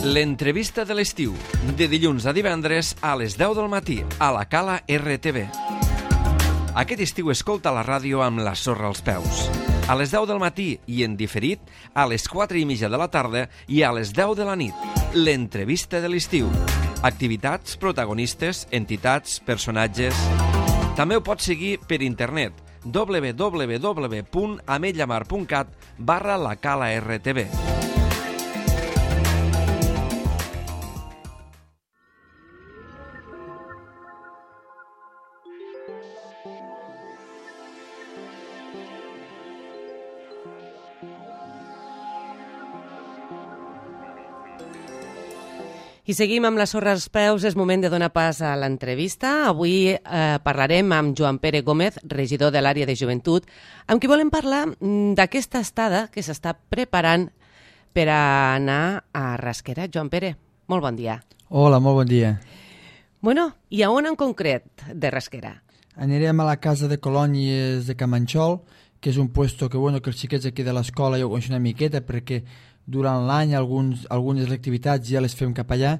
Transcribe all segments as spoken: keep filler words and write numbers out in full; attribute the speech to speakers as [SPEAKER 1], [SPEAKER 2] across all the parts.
[SPEAKER 1] L'entrevista de l'estiu, de dilluns a divendres a les deu del matí, a la Cala R T V. Aquest estiu escolta la ràdio amb la sorra als peus. A les deu del matí i en diferit, a les quatre i mitja de la tarda i a les deu de la nit. L'entrevista de l'estiu. Activitats, protagonistes, entitats, personatges... També ho pots seguir per internet, w w w punt ametlllamar punt cat barra la Cala R T V.
[SPEAKER 2] I seguim amb la sorra als peus, és moment de donar pas a l'entrevista. Avui eh, parlarem amb Joan Pere Gómez, regidor de l'àrea de joventut, amb qui volem parlar d'aquesta estada que s'està preparant per a anar a Rasquera. Joan Pere, molt bon dia.
[SPEAKER 3] Hola, molt bon dia.
[SPEAKER 2] Bueno, i a on en concret de Rasquera?
[SPEAKER 3] Anirem a la casa de colònies de Camanxol, que és un puesto que, bueno, que els xiquets aquí de l'escola ja ho coneixen una miqueta, perquè durant l'any alguns, algunes activitats ja les fem cap allà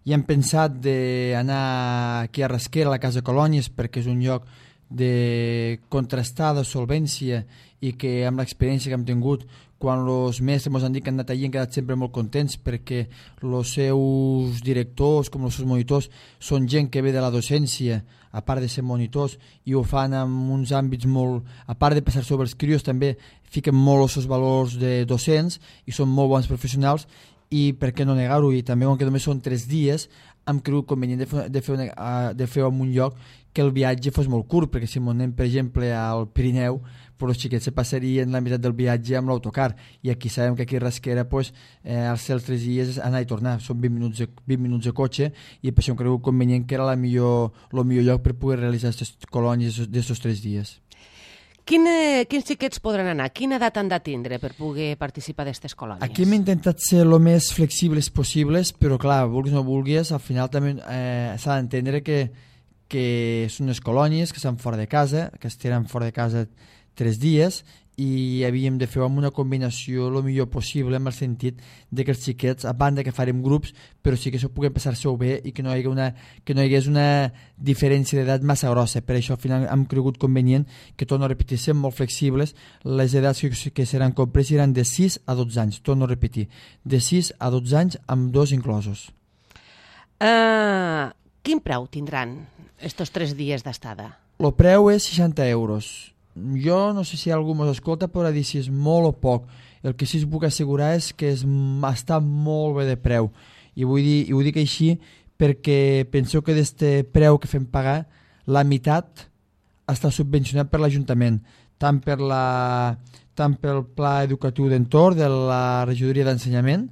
[SPEAKER 3] i hem pensat d'anar aquí a Rasquera, a la Casa Colònies, perquè és un lloc de contrastada solvència i que amb l'experiència que hem tingut quan els mestres ens han dit que han anat allí han quedat sempre molt contents perquè els seus directors com els seus monitors són gent que ve de la docència a part de ser monitors i ho fan en uns àmbits molt, a part de passar sobre els crios també fiquen molt els seus valors de docents i són molt bons professionals i per què no negar-ho, i també com que només són tres dies hem cregut convenient de fer, de fer, una, de fer en un lloc que el viatge fos molt curt, perquè si anem per exemple al Pirineu, però els xiquets se passarien la meitat del viatge amb l'autocar i aquí sabem que aquí a Rasquera pues, eh, els tres dies és anar i tornar, són vint minuts de, vint minuts de cotxe i per això hem cregut convenient que era la millor, el millor lloc per poder realitzar aquestes colònies d'aquests tres dies.
[SPEAKER 2] Quina, quins xiquets podran anar? Quina edat han de tindre per poder participar d'aquestes colònies?
[SPEAKER 3] Aquí hem intentat ser el més flexibles possibles, però clar, vulguis o no vulguis, al final també eh, s'ha d'entendre que, que són unes colònies que estan fora de casa, que estaran fora de casa tres dies i havíem de fer amb una combinació el millor possible en el sentit de que els xiquets, a banda que farem grups, però sí que això puguem passar-se-ho bé i que no hi hagués una, que no hi hagués una diferència d'edat massa grossa. Per això al final hem cregut convenient que, torno a repetir, siguem molt flexibles. Les edats que, que seran compres seran de sis a dotze anys, torno a repetir, de sis a dotze anys amb dos inclosos.
[SPEAKER 2] Uh, quin preu tindran estos tres dies d'estada?
[SPEAKER 3] El preu és seixanta euros. Jo no sé si algú ens escolta podrà dir si és molt o poc. El que sí us puc assegurar és que és, està molt bé de preu i vull dir, i ho dic així perquè penseu que d'este preu que fem pagar la meitat està subvencionat per l'Ajuntament, tant per la, tant pel pla educatiu d'entorn de la regidoria d'ensenyament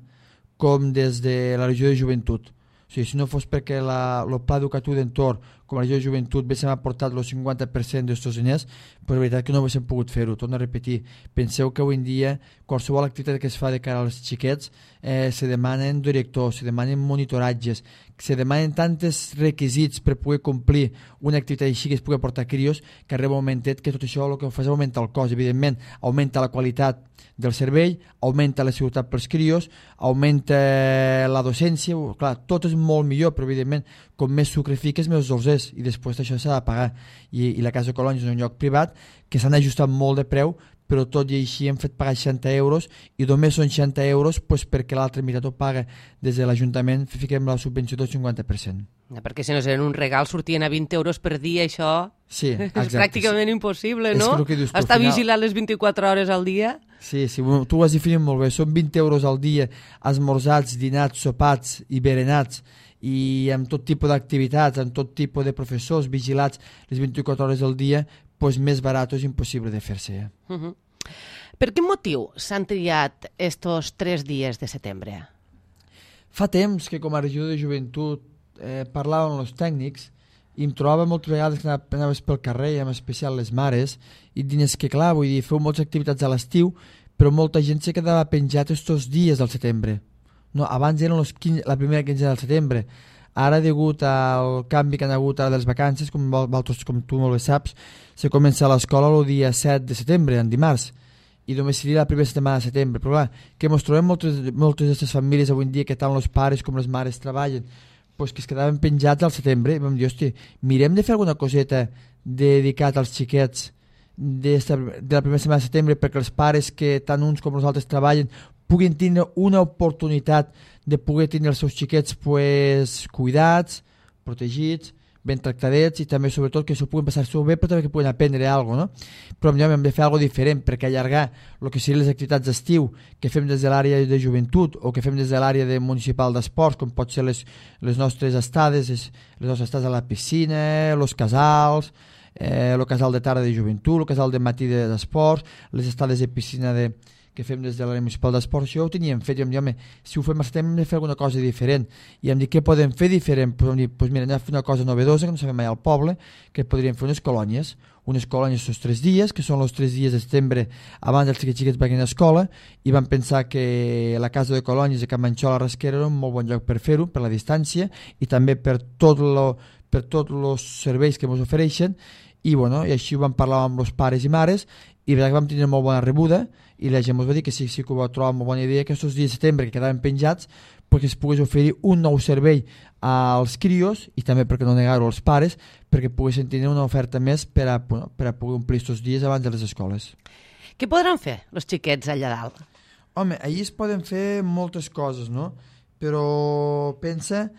[SPEAKER 3] com des de la regió de joventut. O sigui, si no fos perquè la, el pla educatiu d'entorn com a regió de joventut haguéssim aportat el cinquanta per cent d'aquests diners, però la veritat que no haguéssim pogut fer-ho. Torno a repetir, penseu que avui en dia qualsevol activitat que es fa de cara als xiquets eh, se demanen directors, se demanen monitoratges, se demanen tantes requisits per poder complir una activitat així que es pugui aportar crios que arriba un momentet que tot això el que fa és augmentar el cost. Evidentment, augmenta la qualitat del servei, augmenta la seguretat pels crios, augmenta la docència, clar, tot és molt millor, però evidentment com més sucre fiques més dolç és i després això s'ha de pagar I, i la Casa Colònia és un lloc privat que s'han ajustat molt de preu, però tot i així hem fet pagar seixanta euros i només són seixanta euros pues, perquè l'altra meitat ho paga des de l'Ajuntament, fiquem la subvenció del cinquanta per cent.
[SPEAKER 2] Ja, perquè si no seran un regal sortien a vint euros per dia, això
[SPEAKER 3] sí, exacte,
[SPEAKER 2] és pràcticament sí. impossible, no?
[SPEAKER 3] Dius,
[SPEAKER 2] Estar
[SPEAKER 3] final...
[SPEAKER 2] vigilant les vint-i-quatre hores al dia.
[SPEAKER 3] Sí, sí, tu ho has definit molt bé, són vint euros al dia, esmorzats, dinats, sopats i berenats, i amb tot tipus d'activitats, amb tot tipus de professors vigilats les vint-i-quatre hores al dia, pues més barat és impossible de fer-se. Eh?
[SPEAKER 2] Uh-huh. Per quin motiu s'han triat estos tres dies de setembre?
[SPEAKER 3] Fa temps que com a regió de joventut eh, parlàvem amb els tècnics i em trobava moltes vegades que anaves pel carrer, en especial les mares, i dines que clar, vull dir, feu moltes activitats a l'estiu, però molta gent se quedava penjat estos dies del setembre. No, abans eren los quinze, la primera quinzena del setembre. Ara, degut al canvi que han hagut ara de les vacances, com, com tu molt bé saps, se comença a l'escola el dia set de setembre, en dimarts. i només seria la primera setmana de setembre. Però clar, que ens trobem moltes, moltes d'aquestes famílies avui en dia que tant els pares com les mares treballen, pues que es quedaven penjats al setembre, i vam dir, hosti, mirem de fer alguna coseta dedicat als xiquets de, de la primera setmana de setembre, perquè els pares que tant uns com els altres treballen puguin tindre una oportunitat de poder tindre els seus xiquets pues, cuidats, protegits, ben tractadets, i també sobretot que s'ho puguin passar-s'ho bé, però també que puguin aprendre alguna cosa, no? Però millor hem de fer alguna diferent, perquè allargar el que serien les activitats d'estiu que fem des de l'àrea de joventut o que fem des de l'àrea de municipal d'esports, com pot ser les, les nostres estades, les nostres estades a la piscina, els casals, eh, el casal de tarda de joventut, el casal de matí d'esports, les estades de piscina de que fem des de l'àrea municipal d'esports, això ho teníem fet, i em diuen, si ho fem al setembre hem de fer alguna cosa diferent, i em dic, què podem fer diferent? Pues, dir, pues mira, anem a fer una cosa novedosa que no sabem mai al poble, que podríem fer unes colònies, unes colònies els tres dies, que són els tres dies de setembre abans dels xiquets xiquets vagin a escola, i vam pensar que la casa de colònies de Can Manxol a Rasquera era un molt bon lloc per fer-ho, per la distància, i també per tot lo, per tots els serveis que ens ofereixen, i, bueno, i així ho vam parlar amb els pares i mares, i que vam tenir molt bona rebuda, i la gent ens va dir que sí, sí que ho va trobar molt bona idea, que aquests dies de setembre que quedaven penjats perquè es pogués oferir un nou servei als crios, i també, perquè no negar-ho, als pares, perquè poguessin tenir una oferta més per a, bueno, per a poder omplir aquests dies abans de les escoles.
[SPEAKER 2] Què podran fer els xiquets allà dalt?
[SPEAKER 3] Home, allí es poden fer moltes coses, no? Però pensa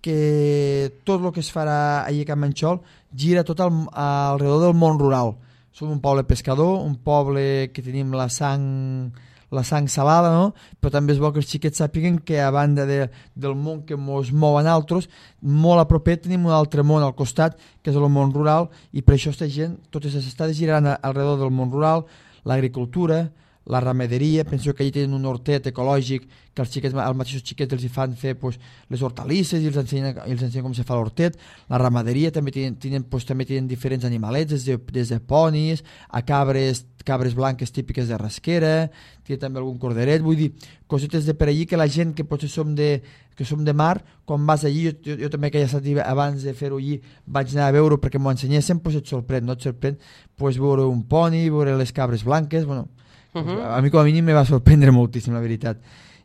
[SPEAKER 3] que tot el que es farà allà a Can Manxol gira tot al, alrededor del món rural. Som un poble pescador, un poble que tenim la sang, la sang salada, no? Però també és bo que els xiquets sàpiguen que a banda de, del món que ens mou a nosaltres, molt a propet tenim un altre món al costat, que és el món rural, i per això aquesta gent, totes les estades giraran alrededor del món rural, l'agricultura, la ramaderia. Penso que allà tenen un hortet ecològic que els xiquets, els mateixos xiquets els hi fan fer pues, les hortalisses i els ensenyen, i els ensenyen com se fa l'hortet. La ramaderia també tenen, tenen, pues, també tenen diferents animalets, des de, des de ponis a cabres, cabres blanques típiques de Rasquera, tenen també algun corderet, vull dir, cosetes de per allí que la gent que potser som de, que som de mar, quan vas allí, jo, jo, jo també que ja estat abans de fer-ho allí vaig anar a veure perquè m'ho ensenyessin, pues et sorprèn, no et sorprèn pues, veure un poni, veure les cabres blanques, bueno, Uh-huh. A mi com a mínim me va sorprendre moltíssim, la veritat.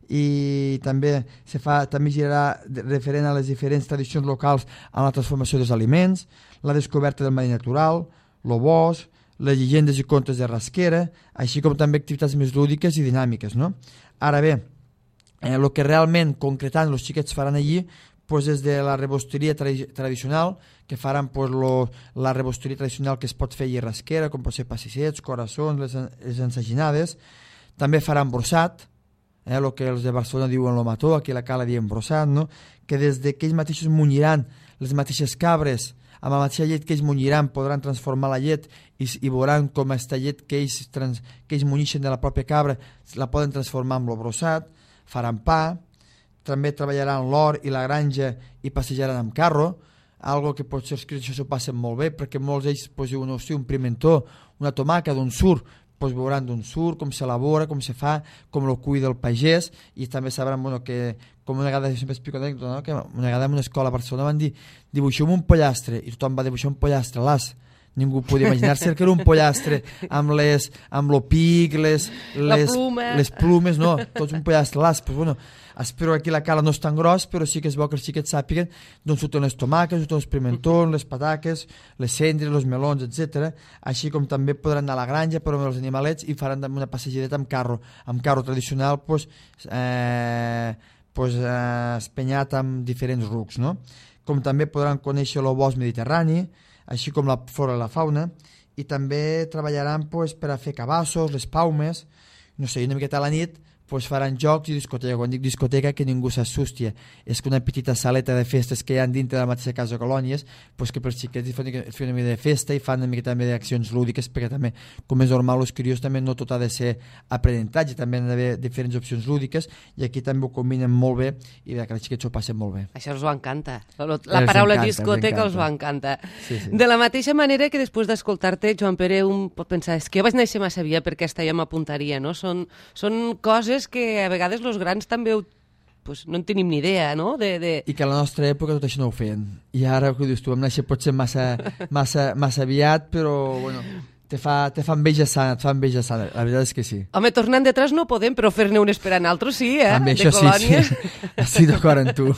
[SPEAKER 3] I també se fa, també girarà referent a les diferents tradicions locals a la transformació dels aliments, la descoberta del medi natural, el bosc, les llegendes i contes de Rasquera, així com també activitats més lúdiques i dinàmiques, no? Ara bé, el eh, que realment concretant els xiquets faran allí pues des de la rebosteria tra tradicional, que faran pues, lo, la rebosteria tradicional que es pot fer a Rasquera, com pot ser passissets, coraçons, les, les ensaginades. També faran brossat, eh, el que els de Barcelona diuen lo mató, aquí a la Cala diem brossat, no? Que des de que ells mateixos munyiran les mateixes cabres, amb la mateixa llet que ells munyiran, podran transformar la llet i, i veuran com aquesta llet que ells, trans, que ells munyixen de la pròpia cabra la poden transformar en lo brossat. Faran pa, també treballaran l'hort i la granja i passejaran amb carro, algo que potser els crios això s'ho passen molt bé, perquè molts d'ells pues, diuen, hosti, un pimentó, una tomaca d'on surt, pues, veuran d'on surt, com s'elabora, com se fa, com el cuida el pagès, i també sabran bueno, que, com una vegada, sempre explico anècdota, no? Que una vegada en una escola a Barcelona van dir, dibuixem un pollastre, i tothom va dibuixar un pollastre, las, ningú podia imaginar-se que era un pollastre amb les, amb lo pic, les, les, les plumes, no, tots un pollastre, las, pues bueno, espero que aquí la cala no és tan gros, però sí que és bo que els xiquets sàpiguen d'on surten les tomaques, surten els pimentons, les pataques, les cendres, els melons, etcètera. Així com també podran anar a la granja per veure els animalets i faran també una passejadeta amb carro, amb carro tradicional, pues, eh, pues, eh, espenyat amb diferents rucs, no? Com també podran conèixer el bosc mediterrani, així com la flora i la fauna, i també treballaran pues, per a fer cabassos, les paumes, no sé, una miqueta a la nit pues, faran jocs i discoteca. Quan dic discoteca, que ningú s'assusti, és que una petita saleta de festes que hi ha dintre de la mateixa casa de colònies, pues, que pels xiquets fan una mica de festa i fan una mica també d'accions lúdiques, perquè també, com és normal, els crios també no tot ha de ser aprenentatge, també han d'haver diferents opcions lúdiques, i aquí també ho combinen molt bé i que els xiquets ho passen molt bé.
[SPEAKER 2] Això els ho encanta. La, la paraula encanta, discoteca els ho encanta. Sí, sí. De la mateixa manera que després d'escoltar-te, Joan Pere, un pot pensar, és que jo vaig néixer massa via perquè aquesta ja m'apuntaria, no? Són, són coses que a vegades els grans també ho, pues, no en tenim ni idea, no? De, de...
[SPEAKER 3] I que a la nostra època tot això no ho feien. I ara, que dius tu, vam néixer potser massa, massa, massa aviat, però bueno, te fa, te fa enveja sana, te fa enveja sana, la veritat és que sí.
[SPEAKER 2] Home, tornant detrás no podem, però fer-ne un esperant altres sí, eh?
[SPEAKER 3] També
[SPEAKER 2] de
[SPEAKER 3] això
[SPEAKER 2] colònies.
[SPEAKER 3] sí, sí. Estic d'acord amb tu.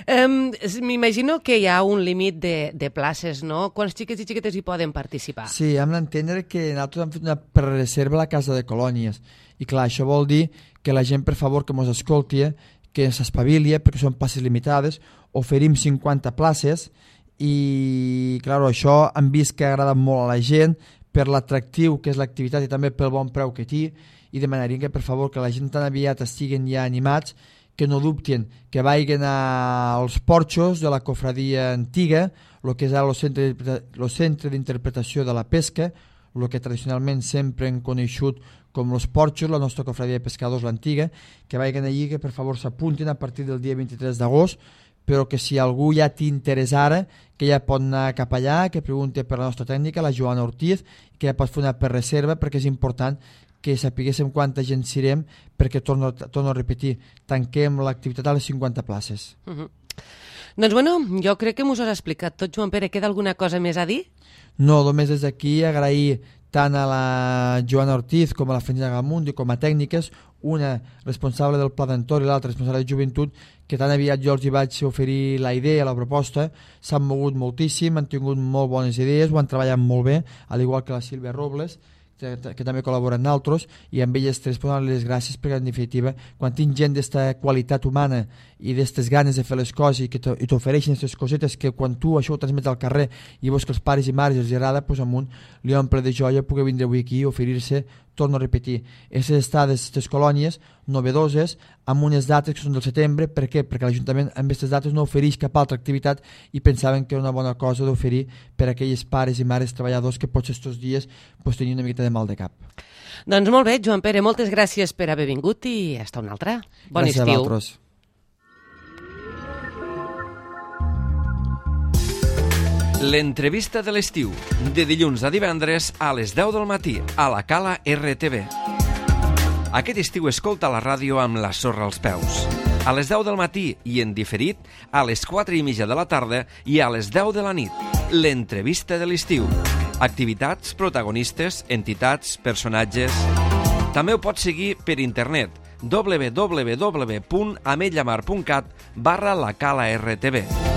[SPEAKER 2] Um, M'imagino que hi ha un límit de, de places, no? Quants xiquets i xiquetes hi poden participar?
[SPEAKER 3] Sí, hem d'entendre que nosaltres hem fet una prereserva a la casa de colònies. I clar, això vol dir que la gent, per favor, que mos escolti, que s'espavili, perquè són places limitades, oferim cinquanta places i, clar, això hem vist que agrada molt a la gent per l'atractiu que és l'activitat i també pel bon preu que té, i demanaríem que, per favor, que la gent tan aviat estiguen ja animats, que no dubtin, que vagin als porxos de la cofradia antiga, el que és ara el centre, el centre d'interpretació de la pesca, el que tradicionalment sempre hem coneixut com els porxos, la nostra cofradia de pescadors, l'antiga, que vagin allí, que per favor s'apuntin a partir del dia vint-i-tres d'agost, però que si algú ja t'interessa ara, que ja pot anar cap allà, que pregunti per la nostra tècnica, la Joana Ortiz, que ja pot fer una prereserva, perquè és important que sapiguéssim quanta gent serem, perquè, torno, torno a repetir, tanquem l'activitat a les cinquanta places.
[SPEAKER 2] Uh -huh. Doncs bueno, jo crec que m'ho has explicat tot, Joan Pere. Queda alguna cosa més a dir?
[SPEAKER 3] No, només des d'aquí agrair tant a la Joana Ortiz com a la Francina Gamundi com a tècniques, una responsable del Pla d'Entorn i l'altra responsable de Joventut, que tan aviat jo els hi vaig oferir la idea, la proposta, s'han mogut moltíssim, han tingut molt bones idees, ho han treballat molt bé, al igual que la Sílvia Robles, que, que també col·laboren amb nosaltres, i amb elles tres poden les gràcies, perquè en definitiva, quan tinc gent d'esta qualitat humana i d'aquestes ganes de fer les coses i que t'ofereixen aquestes cosetes que quan tu això ho transmets al carrer i veus que els pares i mares els agrada, doncs amunt li omple de joia poder vindre avui aquí i oferir-se, torno a repetir, aquestes estades, aquestes colònies novedoses, amb unes dates que són del setembre. Per què? Perquè l'Ajuntament amb aquestes dates no ofereix cap altra activitat i pensaven que era una bona cosa d'oferir per a aquells pares i mares treballadors que potser aquests dies pues, tenien una miqueta de mal de cap.
[SPEAKER 2] Doncs molt bé, Joan Pere, moltes gràcies per haver vingut i hasta una altra. Bon
[SPEAKER 3] gràcies
[SPEAKER 2] estiu.
[SPEAKER 3] Gràcies a vosaltres.
[SPEAKER 1] L'entrevista de l'estiu, de dilluns a divendres a les deu del matí, a la Cala R T V. Aquest estiu escolta la ràdio amb la sorra als peus. A les deu del matí i en diferit, a les quatre i mitja de la tarda i a les deu de la nit. L'entrevista de l'estiu. Activitats, protagonistes, entitats, personatges... També ho pots seguir per internet w w w punt ametlllamar punt cat barra la Cala R T V.